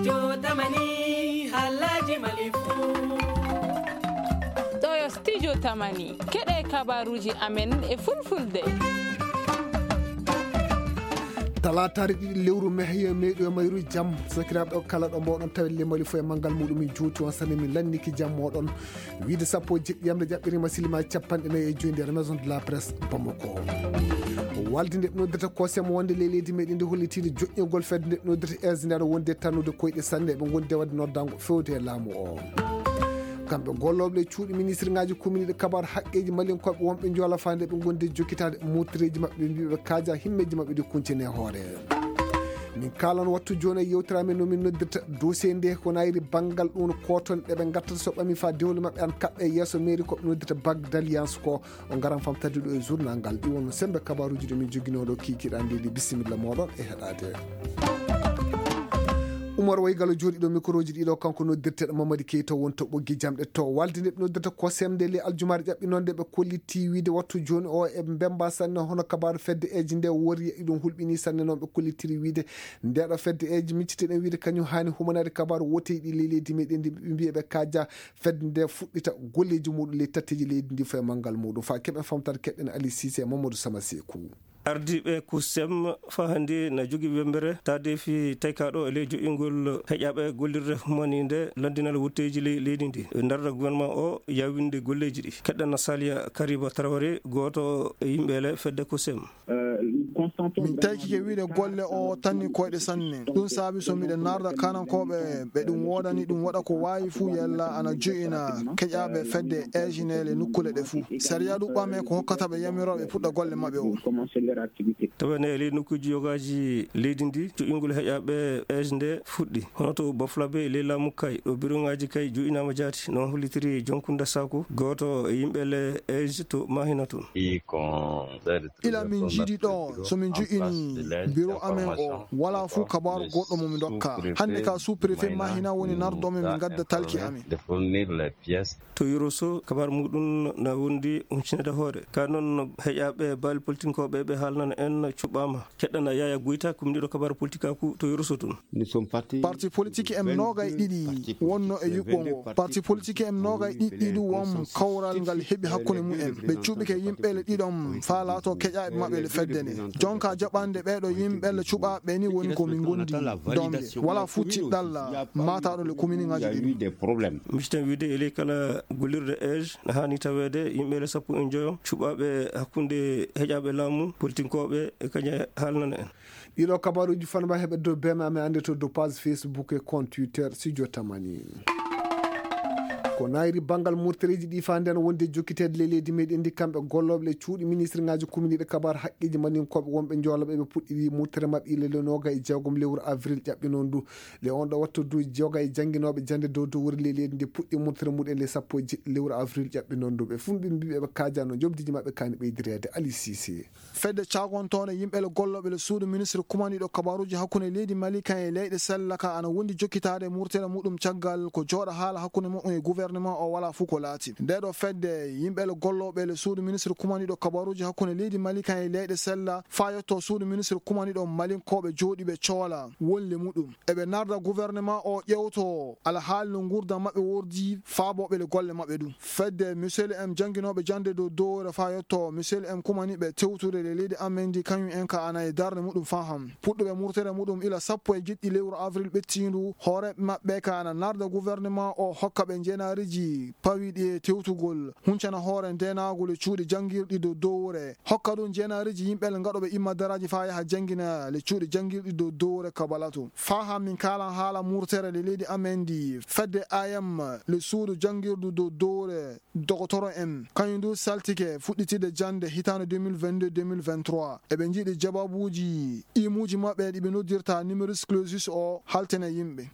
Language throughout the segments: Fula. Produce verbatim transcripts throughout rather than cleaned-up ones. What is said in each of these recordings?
Studio Tamani, halaji Mali fou. Ɗo yo Studio Tamani, keɗe kabaruji amen e fulfulde. Talaataare ɗiɗi lewru mehye meɗo e mayru jam. Sakiraaɓe o kala ɗo mboɗon tawi le Mali fo e manngal muɗum, min juuti on sane, min lanniki jam moɗon. Wiide sappo e jeɗɗi yamre jaɓɓirima silima capanɗe nayi e joyi nder Maison de la Presse Bamako. Walde nde ɓe noddirta kosem wonde le leydi meɗen ndi hollitiiɗo joƴƴingol fedde nde ɓe noddirta S D nde aɗa wonde tannude koyɗe sanne, ɓe gondi e wadde noddango fewde e laamu o. Kamɓe gollooɓe e cuuɗi ministre ngaji kuminiɗe kabaru haqqeji malinkoɓe wonɓe joola fande ɓe gondi e jokkitaade murtireji maɓɓe, ɓe mbiɓe kaaja himmeji maɓɓe ɗi kuncine hoore. Min kaalan wattu jooni e yewtere amen no min noddirta dossier nde ko nayri banngal ɗum koton ɗe ɓe ngattata so ɓami fa dewle maɓɓe an kaɓɓe yeeso mairie ko ɓe noddirta bague d'alliance ko o ngaran famtade ɗo e journal ngal. Ɗi wonno sembe kabaruji ɗo min joginoo ɗo kikiɗa ndedi. Bisimilla moɗon e heɗade. Umar Waygalo jooɗiɗo microji ɗiɗo kanko noddirteɗo Mamadi Keita wonto ɓoggi jamɗe to walde nde ɓe noddirta ko semde le aljumaare ƴaɓɓi noon nde ɓe kolliti wiide wattu jooni o e mbemba sanne hono kabaru fedde eji nde wori e ɗum hulɓini sanne noon ɓe kollitiri wiide ndeɗo fedde eji micciteɗen wiide kañum hani humanade kabaru woteji ɗi le leydi meɗen ndi ɓe mbiya ɓe kaja fedde nde fuɗɗita golleji muɗum ley tatteji leydi ndi fo e manngal muɗum fa keɓen famtata keɗɗen Ali Cissé e Mamadou Sama Sekou. Ardiiɓe kusem faa hannde na jogii wemmbere taadeefi taykaaɗo e ley joƴƴingol heƴaaɓe gollirde humaniinde lanndinal wutteeji ley leydi ndi. Ɓe ndarda gouvernement o yawinde golleeji ɗi. Keɗɗen na Saliya Kariba Traoré, gooto e yimɓe le fedde kusem. Min taykike wiide golle o tanni koyɗe sanne. Ɗum saabi so miɗen narda kanankooɓe ɓe ɗum woodani ɗum waɗa ko waawi fuu yalla ana jo'ina keƴaaɓe fedde eeji ne le nukkule ɗe fuu. Sariya ɗuɓɓam e ko hokkata ɓe yamirooɓe puɗɗa golle maɓɓe o. Tawa ne e ley nokkuuji yogaaji leydi ndi jo'ingol heƴaaɓe eeji nde fuɗɗi. Hono to Bafulabe e ley laamu kay ɗo biroŋaaji kay jo'inaama jaati no hollitiri Jonkunde Saaku gooto e yimɓe le eeji to Mahina toon. Ila min njiidi ɗo so min jo'ini biro amen o wala fuu kabaaru goɗɗo mo mi ndokka. Hannde ka sous-préfet Mahina woni nardo men min ngadda talki amen. To Yoroso kabar muɗum na wondi umcinede hoore ka noon heƴaaɓe baali politinkooɓe ɓe haalnana en cuɓaama. Keɗɗana Yaya Goyta kumniɗo kabar politikaaku to Yoroso toon. Parti politique em noogay ɗiɗi wonno e yuɓɓo ngo. Parti politique em noogay ɗiɗi ɗum won kawral ngal heɓi hakkunde mum en. Ɓe cuɓike yimɓe le ɗiɗon faa laato keƴaaɓe maɓɓe le fedde nde. Jonka jaɓande ɓeeɗo yimɓe le cuɓaaɓe ni woni ko min gondi. Donge wala fuu tiɗɗalla maataɗo le commune ngaji ɗiɗi. Misitan wiide e ley kala gollirde ej na haani taweede yimɓe le sappo e njoyo cuɓaaɓe hakkunde heƴaaɓe laamu politinkooɓe e kañe haalnana en. Ɗiɗo kabaruuji fanma heɓe dow bema amen annde to dow page Facebook e compte Twitter Studio Tamani. Ko nayri banngal murtareeji ɗi faa nden wonde jokkiteede le leydi meɗen ndi kamɓe gollooɓe le cuuɗi ministre ngaji kuminiiɗe kabar haqqeeji maninkoɓe wonɓe joolaɓe ɓe puɗɗiri murtere maɓɓe ile le noga e jeegom lewru avril ƴaɓɓi noon du le on ɗo wattu du joga e jannginooɓe jannde dow dow wuri le leydi ndi puɗɗi murtere muɗen le sappo e jeɗɗi lewru avril ƴaɓɓi noon du ɓe fumɓe mbiɓe ɓe kaajano jobdiji maɓɓe kani ɓeydireede Ali Cissé. Fedde caagontoonde yimɓe le gollooɓe le suudu ministre kumaniiɗo kabaruuji hakkunde leydi Mali kan e leyɗe sella ka ana wondi jokkitaade murtere muɗum caggal ko jooɗa haala hakkunde muɗum e gouvernement o wala fuu ko laati. Nde ɗo fedde yimɓe le gollooɓe le suudu ministre kumaniiɗo kabaruuji hakkunde leydi Mali kan e leyɗe sella faa yetto suudu ministre kumaniiɗo malinkooɓe jooɗiiɓe coola wolle muɗum. Eɓe narda gouvernement o ƴewto alhaali no nguurndam maɓɓe wordi faabooɓe le golle maɓɓe ɗum. Fedde Michel M jannginooɓe jannde dow dowre faa yetto Michel M kumani ɓe tewtude le leydi amen ndi kañum en ka ana e darnde muɗum faa han. Puɗɗuɓe murtere muɗum ila sappo e jeɗɗi lewru avril ɓettiindu, hooreeɓe maɓɓe ka ana narda gouvernement o hokka ɓe njeenaariji pawiiɗi e tewtugol, huncana hoore ndeenaagol e cuuɗi janngirɗi dow dowre. Hokka ɗum njeenaariji yimɓe le ngaɗooɓe immadaraaji faa yaha janngina le cuuɗi janngirɗi dow dowre kabalato. Faa haa min kaalan haala murtere le leydi amen ndi, fedde A M le suudu janngirdu dow dowre dogotoro en, kañum du saltike fuɗɗitide jannde hitaande deux mille vingt-deux deux mille vingt-trois. Eɓe njiɗi jababuuji imuuji maɓɓe ɗi ɓe noddirta numerus clausus o haltene yimɓe.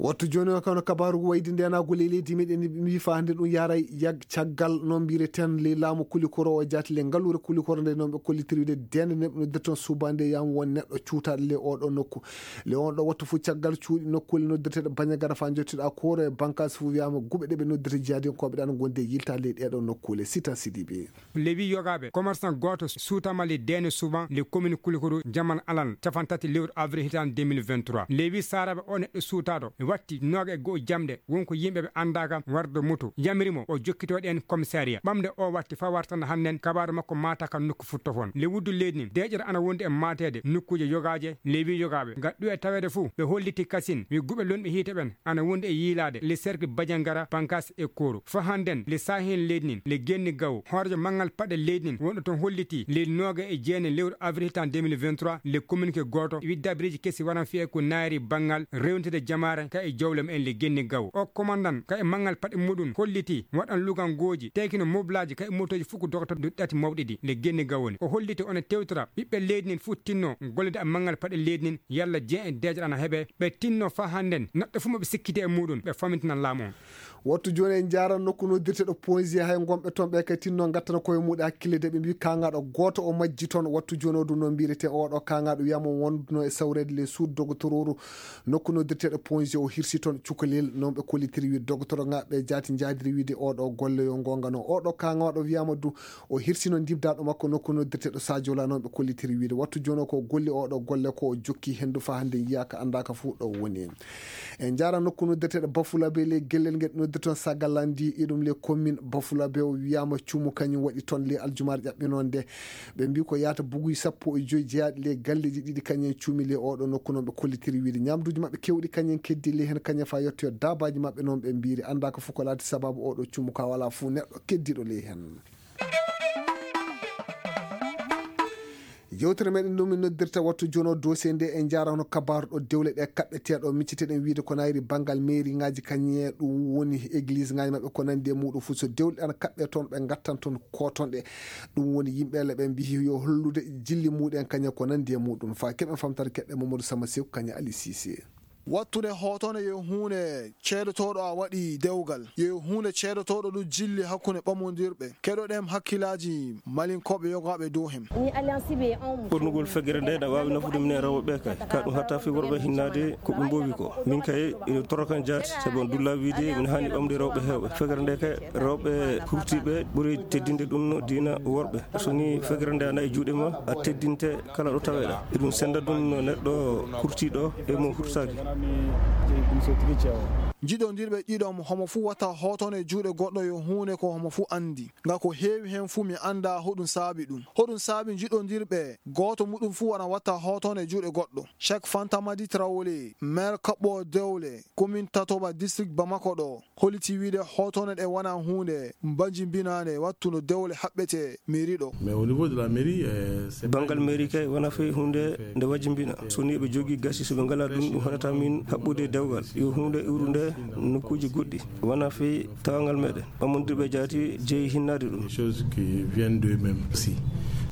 Wattu jooni o, kano kabaaru wayde ndeenaagu ley leydi meɗen, mbi faa hannde ɗum yaaray yag caggal no mbireten ley laamu kulikoro o jaati ley ngalluure kulikoro nde, noon ɓe kollitiri wiide deende nde ɓe noddirton suubaade yam won neɗɗo cuutaaɗo ley oo ɗoo nokku. Ley on ɗoo wattu fof caggal cuuɗi nokkuule noddirteeɗe Bañagara faa njottiɗaa Kooro e bankaasi fof wiyaama guɓe ɗe ɓe noddirta jihaadiyankooɓe ɗe ana ngondi e yiltaade ley ɗee ɗoo nokkuule. Sitan Sidibe. Lewi yogaaɓe commerçant gooto suutaama ley deene suuban ley commune Kulikoro Jamal Alan capantati lewru avril hitaande deux mille vingt-trois. Lewi Saaraaɓe o neɗɗo suutaaɗo e watti nooga e go'o jamɗe won ko yimɓe ɓe anndaaka warde moto yamiri mo o jokkitoo ɗeen commissariat. Ɓamde o watti faa wartana hannden kabaaru makko maata ka nokku futtofon. Le wuddu leydi ndin deeƴere ana wondi e maateede nokkuuje yogaaje. Lewi yogaaɓe ngal ɗuwe taweede fuu ɓe holliti kasin wi guɓe lonɓe hiite ɓen ana wondi e yiilaade le cercle Badiangara, Bankas e Koro. Fo hannden le saahi heen leydi ndin le genni gawo hoorejo manngal paɗe leydi ndin wonɗo toon hollitii leydi nooga e jeenayi lewru avril tan deux mille vingt-trois le communiqué gooto widdabiriji kesi waran fiyee ko naayri banngal rewnitde jamaare ka e jowle mumen le genni gawo. O komandan ka e manngal paɗe muɗum hollitii waɗan lugangooji teykino moblaaji ka e motooji fof ko dogoto duɗɗati mawɗi ɗi le genni gawo ni. O holliti one tewtora ɓiɓɓe leydi ndin fof tinno gollude e manngal paɗe leydi ndin yalla jeen e deeƴere ana heɓe ɓe tinno faa hannden neɗɗo fof mo ɓe sikkiti e muɗum ɓe famintinan laamu on. Wattu jooni en njaaran nokku noddirteeɗo Ponzi hay ngonɓe toon ɓe kay tinno ngattana koye muɗum hakkille de ɓe mbi kaŋŋaaɗo gooto o majji toon. Wattu jooni o ɗum no mbirete oɗo kaŋŋaaɗo wiyama wonduno e sawreede le suud dogotororu nokku noddirteeɗo Ponzi o hirsi toon cukalel noon ɓe kollitiri wiide dogotoro ŋaaɓe jaati njaadiri wiide oɗo golle yo ngongano oɗo kaŋŋaaɗo wiyama du o hirsino ndibdaaɗo makko nokku noddirteeɗo Sadio la noon ɓe kollitiri wiide wattu jooni o ko golli oɗo golle ko o jokki henndu faa hannde yiyaaka anndaaka fof ɗo woni. En njaara nokku noddeteeɗo Bafulabe ley gellel ngel noddirton Sagalandi e ɗum ley commune Bafulabe o wiyaama cuumu kañum waɗi toon ley aljumaare ƴaɓɓinoonde. Ɓe mbii ko yaata buguy sappo e joy jeyaaɗi ley galleeji ɗiɗi kañum cuumi ley oɗo nokku noon ɓe kollitiri wiide ñaamduuji maɓɓe keewɗi kañum keddi ley heen kañum faa yettoyo daabaaji maɓɓe noon ɓe mbiiri anndaa ko fof ko laati sabaabu oɗo cuumu ka walaa fof neɗɗo keddiiɗo ley heen. Yewtere meɗen ɗum min noddirta wattu jono dossier nde e njaara hono kabaaru ɗo dewle ɗe kaɓɓeteeɗo micciteɗen wiide ko nayri banngal mairie ngaji kañe ɗum woni église ngaji maɓɓe ko nandi e muɗum fof so dewle ɗan kaɓɓe toon ɓe ngattan toon koton ɗe. Ɗum woni yimɓe le ɓe mbihi yo hollude jilli muɗen kañe ko nandi e muɗum fa keɓen famtare keɓɓe Mamadou Sama Sew kañe Ali Cissé. Wattude hootone yo huunde ceedotooɗo a waɗi dewgal yo huunde ceedotooɗo ɗum jilli hakkunde ɓamondirɓe keɗoɗen hakkillaaji malinkooɓe yogaaɓe dow hem. Ɓurnugol fegere nde na waawi nafude minen rewɓe ɓe kay ka ɗum hatta fi worɓe hinnaade ko ɓe mboowi ko min kay ene torokan jaati sabu on dulla wiide min haani ɓamde rewɓe heewɓe fegere nde kay rewɓe hurtiiɓe ɓuri teddinde ɗum no diina worɓe. So ni fegere nde ana e juuɗe ma a teddinte kala ɗo taweɗa eɗum senda ɗum no neɗɗo kurtiɗo e mo hurtaki. Jiɗondirɓe ɗiɗon homo fuu wata hoton e juuɗe goɗɗo yo huunde ko homo fuu andi nga ko heewi hen fuu mi anda hoɗum saabi ɗum hoɗum saabi jiɗondirɓe gooto muɗum fuu wana wata hoton e juuɗe goɗɗo. Chek Fantamadi Traolé maire kaɓɓo dewle commune Tatoba district Bamako ɗo holliti wiide hootone ɗe wona huunde mbajimbinaande wattuno dewle haɓɓete mairie ɗo. Mais au niveau de la mairie, euh, c'est pas banngal mairie kay wona fey huunde nde wajimbina so ni ɓe jogii gasi so ɓe ngalaa ɗum ɗum haɗata min haɓɓude dewgal yo huunde iwrude nokkuuji goɗɗi wona fey tawangal meɗen ɓamondirɓe jaati jeyi hinnaade ɗum. Des choses qui viennent d'eux-mêmes aussi.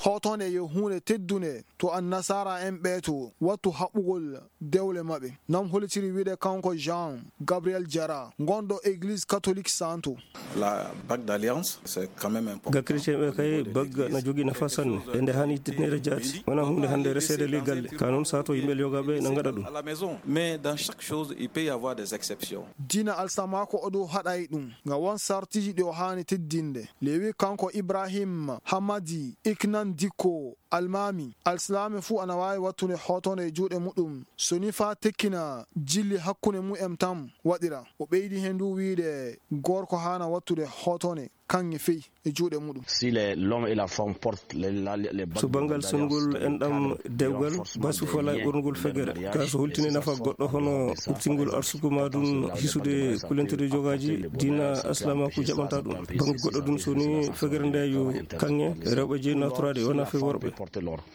Hootone yo huunde teddunde to annasara en ɓeeto wattu haɓɓugol dewle maɓɓe. Nam hollitiri wiide kanko Jean Gabriel Jara gonɗo église catholique santo. La bague d'alliance c'est quand même important. Ga chrétien ɓe kay bagga na jogii nafa sanne e nde hani teddinere jaati wona hunde hannde reseede ley galle ka noon sato yimɓe yogaɓe na gaɗa ɗum. À la maison mais dans chaque chose il peut y avoir des exceptions. Diina alsamaako o ɗo haɗay ɗum nga won sartiji ɗi o haani teddinde. Lewi kanko Ibrahim Hamadi Iknan Dikko Almaami alsilaame fuu ana waawi wattude hootone e juuɗe muɗum so ni faa tekkina jilli hakkunde mu'en tan waɗira. O ɓeydi heen du wiide gorko haana wattude hootone kaŋŋe fey e juuɗe muɗum. Si les l'homme et la femme porte les, la, les, les so banngal songol enɗam dewgal basu fala e ɓornugol fegere ka so holtini nafa goɗɗo hono ɓurtingol arsuku ma ɗum hisude kulentere jogaji diina aslamaku jaɓanta ɗum bannge goɗɗo ɗum so ni fegere nde yo kaŋŋe rewɓe jeyi naturaade wona fe worɓe.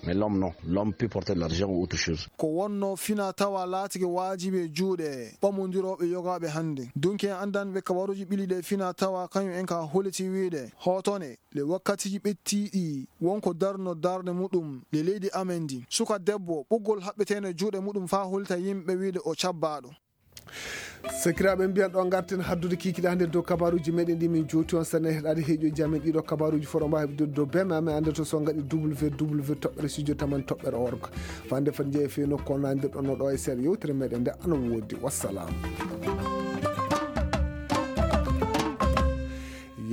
Mais l'homme non, l'homme peut porter l'argent ou autre chose. Ko wonno fina tawa laatike waajibi e juuɗe ɓamondirooɓe yogaaɓe hannde. Dunki en anndanɓe kabaruuji ɓili ɗe fina tawa kañum en ka holiti wiide hootone le wakkatiiji ɓettiiɗi wonko darno darnde muɗum le leydi amen ndi. Suka debbo ɓoggol haɓɓeteende juuɗe muɗum faa holita yimɓe wiide o cabbaaɗo. Sakiraaɓe, mbiyan ɗo ngarten haddude kiikiɗe hannde dow kabaruuji meɗen ɗi min jooti on. Sene heɗaade heeƴooji amen ɗiɗo kabaruuji fof ɗo mbaawi hebdude dow beme amen annde to so ngaɗi www toɓɓere studio taman toɓɓere org. Fande fat jeeya feeno ko nandirɗon no ɗo e seeɗa yewtere meɗen nde ana woodi. Wassalam.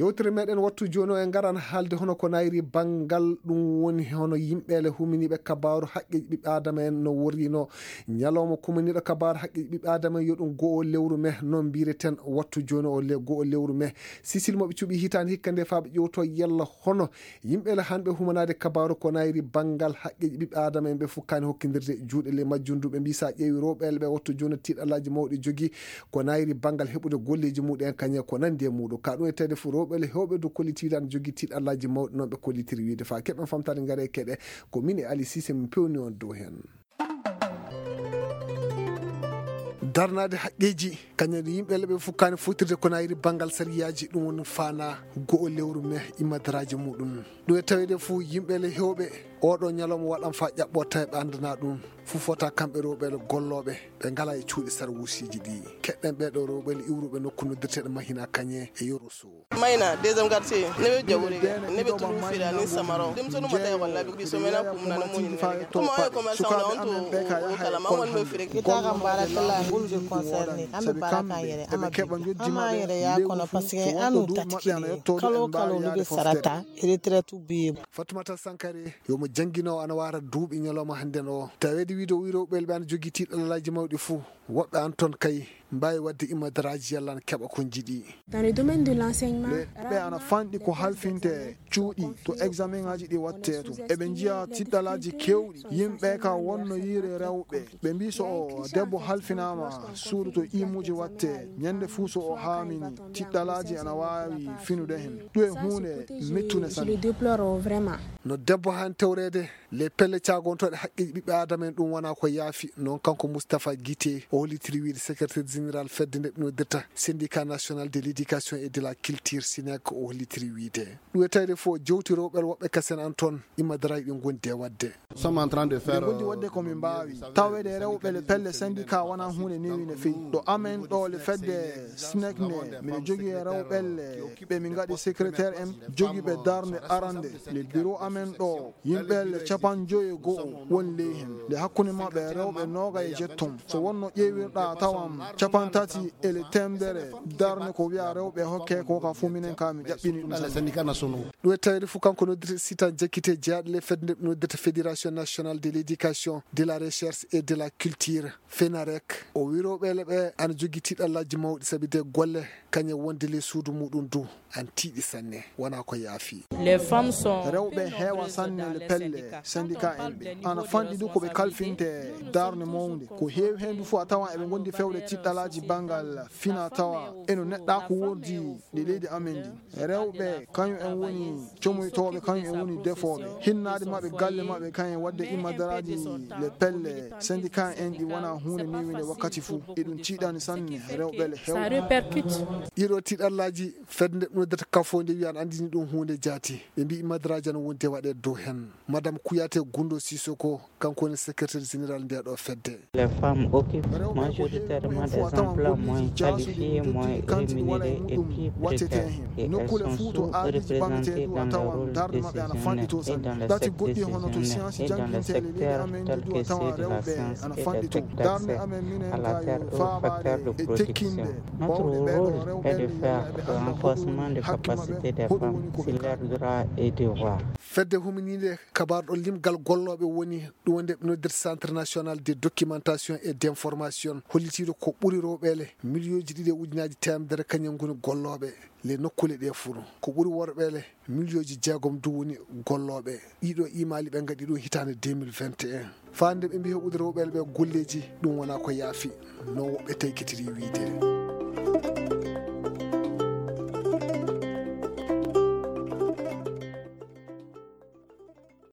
Yewtere meɗen wattu jooni o e ngaran haalde hono ko nayri banngal ɗum woni hono yimɓeele huminiiɓe kabaaru haqqeeji ɓiɓɓe aadama en no worrino. Ñalawma kumaniiɗo kabaaru haqqeeji ɓiɓɓe aadama en yo ɗum go'o lewru me no mbireten wattu jooni o le go'o lewru me. Sisil mo ɓe cuɓi hitaande hikka nde faa ɓe ƴewto yalla hono yimɓeele hanɓe humanaade kabaaru ko nayri banngal haqqeeji ɓiɓɓe aadama en ɓe fukkaani hokkindirde juuɗe ley majjum ndu ɓe mbii so a ƴeewi rewɓeele ɓe wattu jooni tiiɗalaaji mawɗi jogi ko nayri banngal heɓude golleeji muɗen kañe ko nandi e muɗum ka ɗum e tawde fof rewɓeele hewɓe dow kollitiiɗan jogi tiiɗalaaji mawɗi noon ɓe kollitiri wiide faa keɓen famtaade ngare keɗe ko min e Ali Sise min pewni on dow heen. Darnaade haqqeeji kañum yimɓeele ɓe fukkaani fottirde ko nayri banngal sariyaaji ɗum woni faana go'o lewru me immadaraaji muɗum. Ɗum e taweede fof yimɓeele hewɓe oɗo ñalawma waɗan faa ƴaɓɓo tawi ɓe anndana ɗum fof fota kamɓe rewɓeele gollooɓe ɓe ngala e cuuɗi sarwuusiiji ɗi. Keɗɗen ɓeeɗo rewɓeele iwruɓe nokku noddirteeɗo mahina kañe e yoroso. Mayna deuxième quartier ne ɓe jawrige ne ɓe tulu firani samaro dem sonu mata e wallaɓe ɓiso mena kumnani moni ne kuma oye commerçant na on to o kala ma won no fire. Kitaka mbara kala ngol de concerne ambe bara kan yere ama bi ama yere ya kono parce que anu tatkiri kalo kalo ni be sarata retraite bi. Fatumata Sankare yomo jangino ana wara duuɓi ñalawma hannden o tawede wiide o wirowɓel ɓe ana jogii tiiɗalalaji mawɗi fuu. Woɓɓe an ton kay mbaawi waɗde imadaraaji yalla ana keɓa ko njiɗi. Dans le domaine de l'enseignement, ɓe ana fanɗi ko halfinte cuuɗi to examen aji ɗi wattee to eɓe njiya tiɗɗalaaji keewɗi yimɓe ka wonno yiire rewɓe ɓe mbi so o debbo halfinaama suudu to imuuji wattee ñande fuu so o haamini tiɗɗalaaji ana waawi finude heen ɗum e huunde mettunde sanne. No debbo han tewreede Les pelle caagontooɗe haqqeeji ɓiɓɓe aadama en ɗum wonaa ko yaafi. Noon kanko Moustapha Guité o hollitiri wiyde secrétaire général fedde nde ɓe noddirta syndicat national de l'éducation et de la culture sinek o hollitiri wiyde ɗum e tawde fof jewti rewɓel woɓɓe kasen an toon imma darayi ɓe ngondi e waɗde. Eɗen ngondi waɗde ko min mbaawi tawede rewɓe le pelle syndicat wonaa huunde newi no fewi ɗo amen ɗo le fedde sinek ne mino jogii e rewɓelle ɓe min ngaɗi secrétaire en jogiiɓe darnde arande le bureau amen ɗo. Yimɓe le capanɗe joyi e go'o woni ley heen nde hakkunde maɓɓe rewɓe nooga e jetton so wonno ƴeewirɗa tawan capanɗe tati e le temedere darnde ko wiya rewɓe hokke ko ka fof minen ka mi ƴaɓɓini ɗum ɗum e tawde fof kanko noddirta sitan jakkite jeyaaɗo le fedde nde noddirta fédération nationale de l'éducation de la recherche et de la culture fenarek o wirowɓeele ɓe ana jogii tiɗallaaji mawɗi sabi de golle kañe wonde ley suudu muɗum du an tiiɗi sanne wonaa ko yaafi. Rewɓe heewa sanne le pelle syndicat en ɓe ana fanɗi du ko ɓe kalfinte darne mawnde ko heewi heen du fof a tawan eɓe ngondi fewde tiɗɗalaaji banngal fina tawa eno neɗɗa ko wordi nde leydi amen ndi rewɓe kañum en woni comoytooɓe kañum en woni defooɓe hinnaade maɓɓe galle maɓɓe kañum en waɗde immadaraaji le pelle syndicat en ɗi wona huunde newinde wakkati fof eɗum tiiɗani sanne rewɓe le hewɓe. Ɗiɗo tiɗallaaji fedde nde noddata kafo nde wiyan anndini ɗum huunde jaati ɓe mbi immadaraaji ana wondi e waɗeede dow heen. Madame Kouyaté Gundo Sissoko kanko woni secrétaire général nde ɗo fedde. Les femmes occupent majoritairement des emplois moins qualifiés, moins rémunérés et plus précaires. Et elles sont sous-représentées dans le rôle décisionnaire et dans le secteur décisionnaire et dans le secteur tel que ceux de la science et des techniques, à la terre ou facteur de production. Notre rôle est de faire le renforcement des capacités des femmes sur leurs droits et devoirs. Fedde huminiinde kabaarɗo limgal gollooɓe woni ɗum wonde ɓe noddirta centre national de documentation et d'information hollitiiɗo ko ɓuri rewɓeele miliyonji ɗiɗi e ujunaaji teemedere kañum ngoni gollooɓe le nokkuule ɗe fuu ko ɓuri worɓeele miliyonji jeegom du woni gollooɓe. Ɗiɗo imaali ɓe ngaɗi ɗum hitaande deux mille vingt et un faande ɓe mbi heɓude rewɓeele ɓe golleeji ɗum wonaa ko yaafi no woɓɓe taykitiri wiyde.